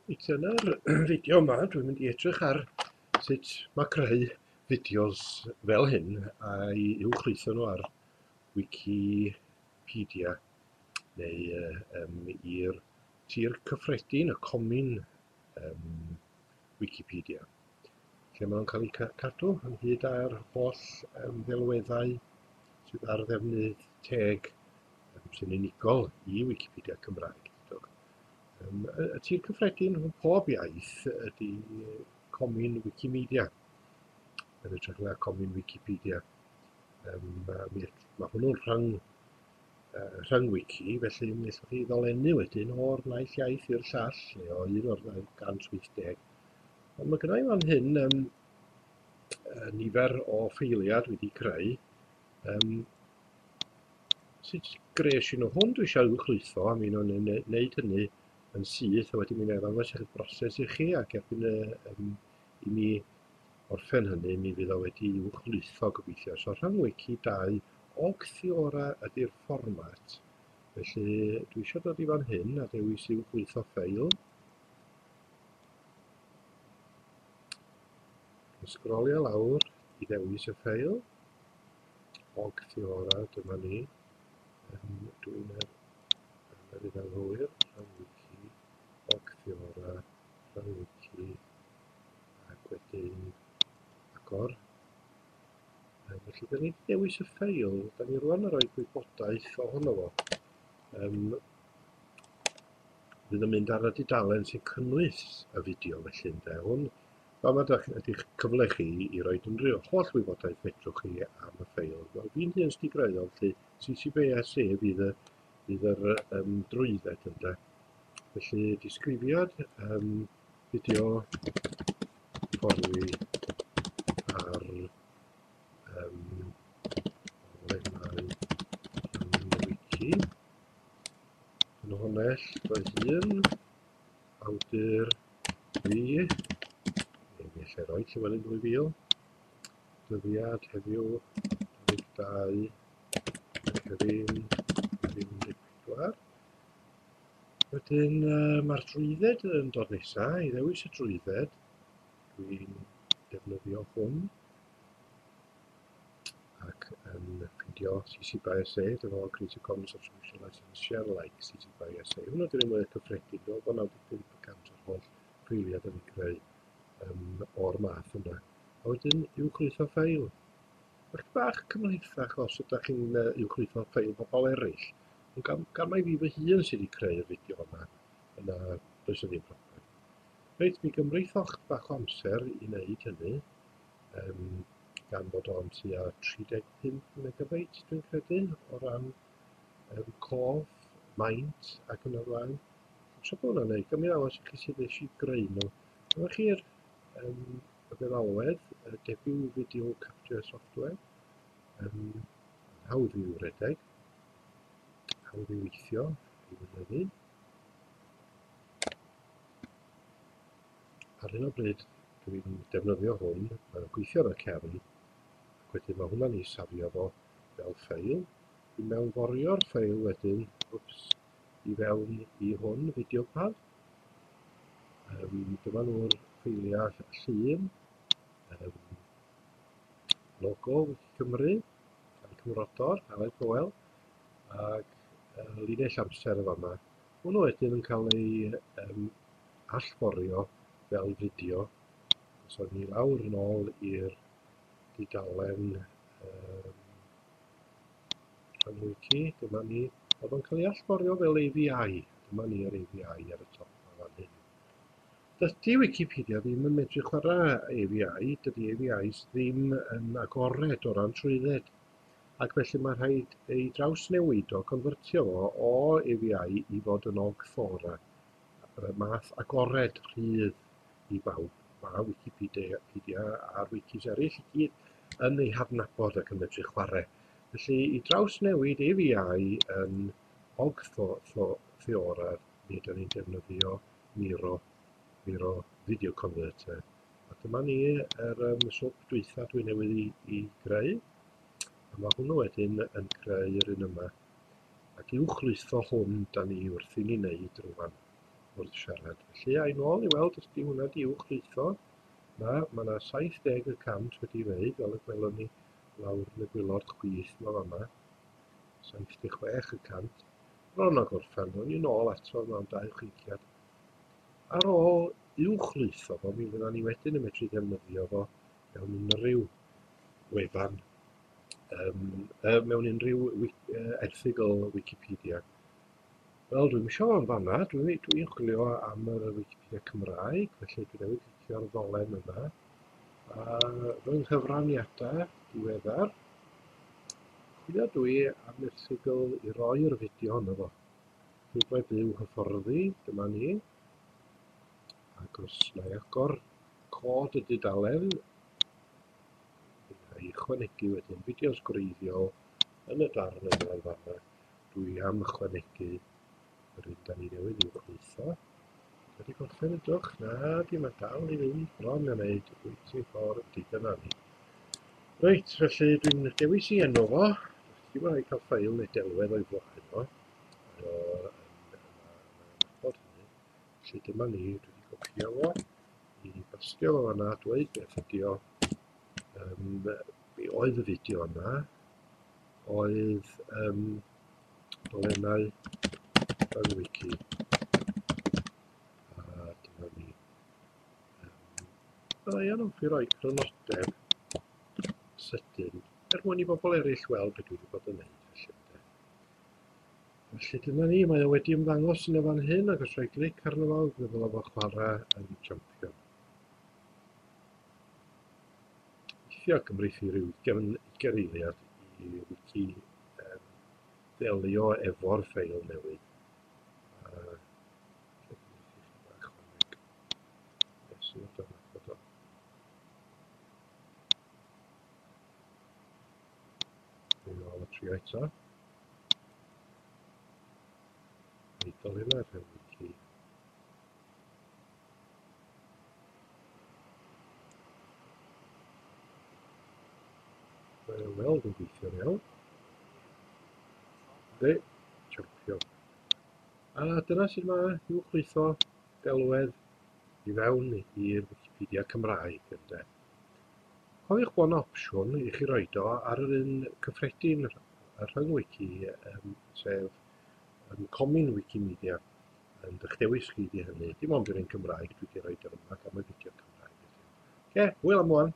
Reit, yn yr fideo yma dwi'n mynd i edrych ar sut mae creu fideos fel hyn a'i uwchlwytho nhw ar Wikipedia neu i'r tir cyffredin, y comin Wikipedia, lle maen nhw'n cael eu cadw ynghyd â'r holl ddelweddau sydd ar ddefnydd teg sy'n unigol i Wikipedia Cymraeg. Y tir cyffredin rhwng pob iaith ydy Comin Wikimedia, yn hytrach na Comin Wikipedia. Mae hwnnw'n rhyng wiki, felly mi allwch chi ddolennu wedyn o'r naill iaith i'r llall, neu o un o'r 280. Ond mae gynna i fan hyn nifer o ffeiliau dwi wedi creu. Sut gres i nhw? Hwn dwi eisiau uwchlwytho, a mi nhw'n wneud hynny yn syth, a wedyn mi wna i ddangos eich broses i chi, ac erbyn i mi orffen hynny, mi fydd o wedi uwchlwytho gobeithio. So rhyngwiki 2 Ogg Theora ydy'r fformat, felly dwi eisiau dod i fan hyn a dewis uwchlwytho ffeil. Dwi'n sgrolio lawr i ddewis y ffeil. Ogg Theora, dyma ni. Dwi'n yr un anghywir, rhyngwiki, Ogg Theora, rhyngwiki, ac wedyn agor. Felly, da ni wedi dewis y ffeil, da ni rwan yn rhoi gwybodaeth ohono fo. Fydd yn mynd ar y dudalen sy'n cynnwys y fideo felly, ynde. Hwn, fama ydy'ch cyfle chi i roi unrhyw holl wybodaeth fedrwch chi am y ffeil. Wel, fi'n hun sydd wedi greu o, felly CC BY SA fydd yr drwydded, ynde. Felly, disgrifiad, fideo hyfforddi ar lemau wiki. Ffynhonnell fy hun, awdur fi, neu mi allai roi Llywelyn 2000, dyddiad heddiw 22 Mehefin 2014. Wedyn mae'r drwydded yn dod nesaf. I ddewis y drwydded, dwi'n defnyddio hwn ac yn ffindio CC BY SA, dyma fo, Creative Commons Attribution License Share Alike CC BY SA. Hwnnw ydy'r un mwyaf cyffredin, dwi'n meddwl bod 95% o'r holl ffeiliau da ni'n creu o'r math yna. A wedyn uwchlwytho ffeil. Mae'n bach cymhlethach os ydych chi'n uwchlwytho ffeil pobl eraill. Ond gan mai fi fy hun sydd wedi creu'r fideo yma, yna does 'na ddim problem. Reit, mi gymrith o'ch bach o amser i wneud hynny, gan fod o'n tua 35 megabyte dwi'n credu, o ran cof, maint ac yn y blaen. Tra bod hwnna'n neud, gymryd ddangos i chi sut nes i greu nhw. Dyma chi'r y feddalwedd, y Debut Video Capture Software, hawdd i'w redeg, hawdd i weithio, i weinyddu. Ar hyn o bryd dwi'n defnyddio hwn, mae'n gweithio ar y cefn, ac wedyn mae hwnna'n ei safio fo fel ffeil. Dwi'n mewnforio'r ffeil wedyn, wps, i fewn i hwn, VideoPad. Dyma nhw'r ffeiliau llun, logo Wiki Cymru, a'r cymrodor, Aled Hywel, ac linell amser yn fama. Hwnnw wedyn yn cael ei allforio fel fideo. Os o'n ni lawr yn ôl i'r dudalen rhyngwiki, dyma ni, oedd o'n cael ei allforio fel AVI. Dyma ni yr AVI ar y top o fan hyn. Dydy Wikipedia ddim yn medru chwarae AVI, dydy AVIs ddim yn agored o ran trwydded, ac felly mae rhaid ei drawsnewid o, convertio fo o AVI i fod yn Ogg Theora, y math agored rhydd i bawb. Mae Wikipedia a'r wikis eraill i gyd yn ei hadnabod ac yn medru chwarae. Felly i drawsnewid AVI yn Ogg Theora, mi ydyn ni'n defnyddio Miro Video Converter. A dyma ni yr swp dwytha dwi newydd i greu. A mae hwnnw wedyn yn creu yr un yma. Ac uwchlwytho hwn da ni wrth i ni wneud rwan. wrth siarad. Felly, a'i nôl i weld os di hwnna di uwchlwytho. Na, mae yna 70 y cant wedi wneud, fel y gwelwn ni lawr yn y gwylod chwith ma fama. 76 y cant. Bron o gorffen, ddown ni nôl ato mewn dau chwiciad. Ar ôl uwchlwytho fo, mi fydda ni wedyn yn medru defnyddio fo mewn unrhyw wefan, um, mewn unrhyw erthygl Wikipedia. Wel, dwi'm isio fo'n fanna. Dwi'n dwi chwilio am yr Wikipedia Cymraeg, felly dwi newydd clicio'r ddolen yna. A fy nghyfraniadau diweddar, chwilio dwi am erthygl i roi'r fideo yna fo. Llwybrau byw hyfforddi, dyma ni. Ac os na i agor cod y dudalen, mi wna i ychwanegu wedyn fideos gwreiddiol yn y darn yma yn fanna. Dwi am ychwanegu yr un da ni newydd uwchlwytho. Wedi gorffen ydwch? Na, di mae dal i fynd bron a wneud waiting for ydy dyna ni. Reit, felly dwi'n dewis i enw fo. Dim ond cael ffail neu delwedd o'i flaen o. Mae o yn nabod hynny. Felly dyma ni, dwi wedi copio fo i bastio fo fanna, dweud beth ydi o. Be oedd y fideo yna? Oedd dolennau yn wiki. A dyma ni. Byddai yn hoffi roi crynodeb sydyn er mwyn i bobl eraill weld beth dwi wedi bod yn neud felly ynde. Felly dyna ni, mae o wedi ymddangos yn y fan hyn ac os rhoi glic arno fo, fe ddylai fo chwarae yn champion. Weithiau cymryd i ryw ugain eiliad i wiki ddelio efo'r ffeil newydd. A lle cymryd i chi bach chwaneg. Nes i fod o'n nabod o. Dwi'n ôl y trio eto. Eidl hynna rhywun wiki. Mae o'n weld yn gweithio'n iawn. Yndi, champion. A dyna sut mae uwchlwytho delwedd i fewn i'r Wikipedia Cymraeg, ynde. Cofiwch bod yna opsiwn i chi roed o ar yr un cyffredin y rhyng-wiki, sef Comin Wikimedia. Yn eich dewis chi di hynny. Dim ond yr un Cymraeg dwi wedi rhoi ar yma, gan mai fideo Cymraeg ydy o. Oce, hwyl am wan.